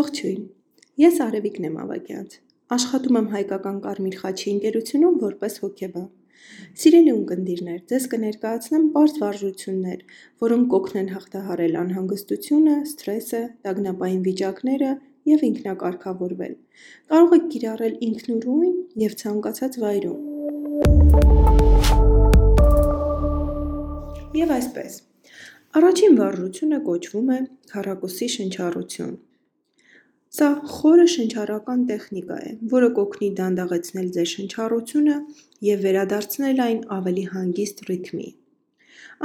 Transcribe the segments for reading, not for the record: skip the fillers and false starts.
Ողջույն, ես Արևիկն եմ Ավագյանց, աշխատում եմ Հայկական Կարմիր խաչի ընկերությունում որպես հոգեբան։ Սիրելի ունկնդիրներ, ձեզ կներկայացնեմ պարզ վարժություններ, որոնք կօգնեն հաղթահարել անհանգստությունը, սթրեսը, տագնապային վիճակները և ինքնակարգավորվել։ Կարող եք կիրառել ինքնուրույն և ցանկացած վայրում։ Եվ այսպես, առաջին վարժությունը կոչվում է քառակուսի շնչառություն։ Սա խորը շնչառական տեխնիկա է, որը կօգնի դանդաղեցնել ձեր շնչառությունը և վերադարձնել այն ավելի հանգիստ ռիթմի։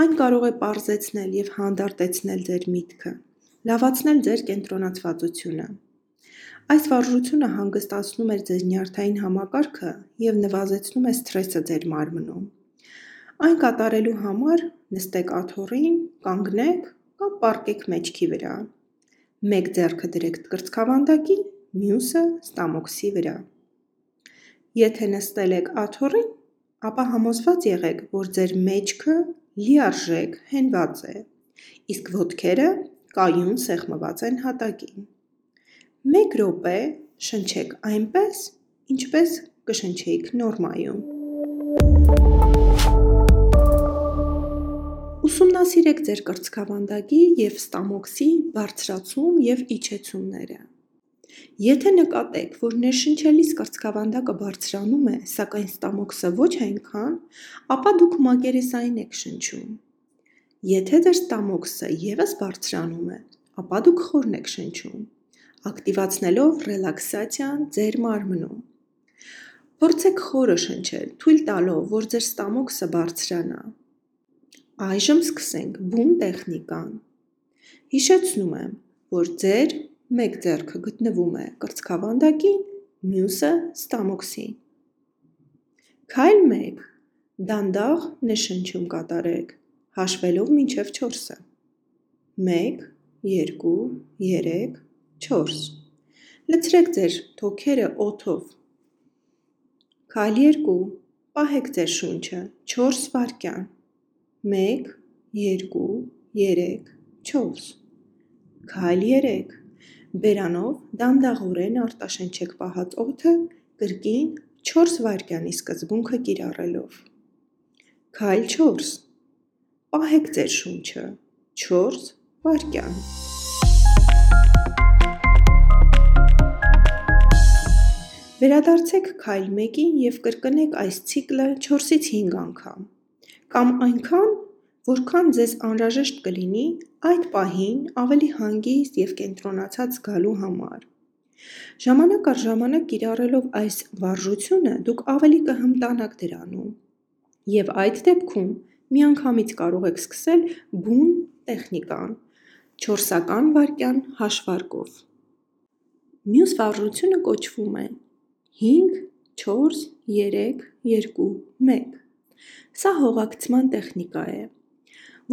Այն կարող է պարզեցնել և հանդարտեցնել ձեր միտքը, լավացնել ձեր կենտրոնացվածությունը։ Այս վարժությունը հանգստացնում է ձեր նյարդային համակարգը և նվազեցնում է սթրեսը ձեր մարմնում։ Այն կատարելու համար նստեք աթոռին, կանգնեք կամ պառկեք մեջքի վրա։ Մեկ ձեռքը դրեք կրծքավանդակին, մյուսը ստամոքսի վրա։ Եթե նստել եք աթոռին, ապա համոզված եղեք, որ ձեր մեջքը լիարժեք հենված է, իսկ ոտքերը կայուն սեղմված են հատակին։ 1 րոպե շնչեք այնպես, ինչպես կշնչեիք նորմայում։ Ուսումնասիրեք ձեր կրծքավանդակի և ստամոքսի բարձրացում և իջեցումները։ Եթե նկատեք, որ ներշնչելիս կրծքավանդակը բարձրանում է, սակայն ստամոքսը ոչ այնքան, ապա դուք մակերեսային եք շնչում։ Եթե ձեր ստամոքսը ևս բարձրանում է, ապա դուք խորն եք շնչում, ակտիվացնելով ռելաքսացիան ձեր մարմնում։ Փորձեք խորը շնչել, թույլ տալով, որ ձեր ստամոքսը բարձրանա։ Այժմ սկսենք բուն տեխնիկան։ Հիշեցնում եմ, որ ձեր մեկ ձեռքը գտնվում է կրծքավանդակին, մյուսը ստամոքսին։ Քայլ 1. Դանդաղ ներշնչում կատարեք, հաշվելով մինչև 4-ը։ 1, 2, 3, 4։ Լցրեք ձեր թոքերը օդով։ Քայլ 2. Պահեք ձեր շունչը 4 վայրկյան։ 1, 2, 3, 4։ Քայլ 3. Բերանով դանդաղորեն արտաշնչեք պահած օդը կրկին 4 վայրկյանի սկզբունքը կիրառելով։ Քայլ 4. Պահեք ձեր շունչը 4 վայրկյան։ Վերադարձեք քայլ 1-ին և կրկնեք այս ցիկլը 4-ից 5 անգամ, կամ այնքան, որքան ձեզ անհրաժեշտ կլինի այդ պահին ավելի հանգիստ և կենտրոնացած զգալու համար։ Ժամանակ առ ժամանակ կիրառելով այս վարժությունը դուք ավելի կհմտանաք դրանում, և այդ դեպքում միանգամից կարող եք սկսել բուն տեխնիկան 4-ական վայրկյան հաշվարկով։ Մյուս վարժությունը կոչվում է 5, 4, 3, 2, 1։ Սա հողակցման տեխնիկա է,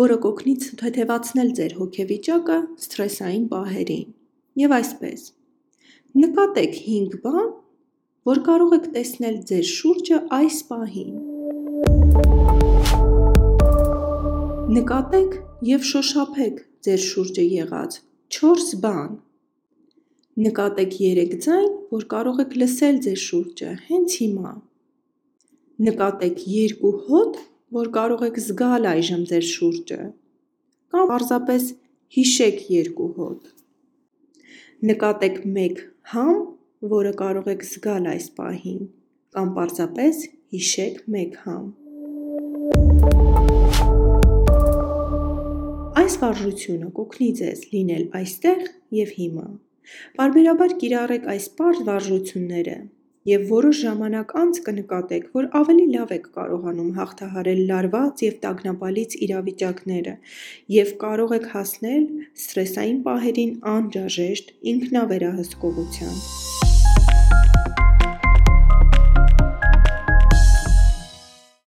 որը կօգնի թեթևացնել ձեր հոգեվիճակը սթրեսային պահերին։ Եվ այսպես, նկատեք 5 բան, որ կարող եք տեսնել ձեր շուրջը այս պահին։ Նկատեք և շոշափեք ձեր շուրջը եղած 4 բան։ Նկատեք 3 ձայն, որ կարող եք լսել ձեր շուրջը հենց հիմա։ Նկատեք 2 հոտ, որ կարող եք զգալ այժմ ձեր շուրջը, կամ պարզապես հիշեք 2 հոտ։ Նկատեք 1 համ, որը կարող եք զգալ այս պահին, կամ պարզապես հիշեք 1 համ։ Այս վարժությունը կօգնի ձեզ լինել այստեղ և հիմա։ Պարբերաբար կիրառեք այս պարզ վարժությունները, և որոշ ժամանակ անց կնկատեք, որ ավելի լավ եք կարողանում հաղթահարել լարված և տագնապալից իրավիճակները և կարող եք հասնել սթրեսային պահերին անհրաժեշտ ինքնավերահսկողության։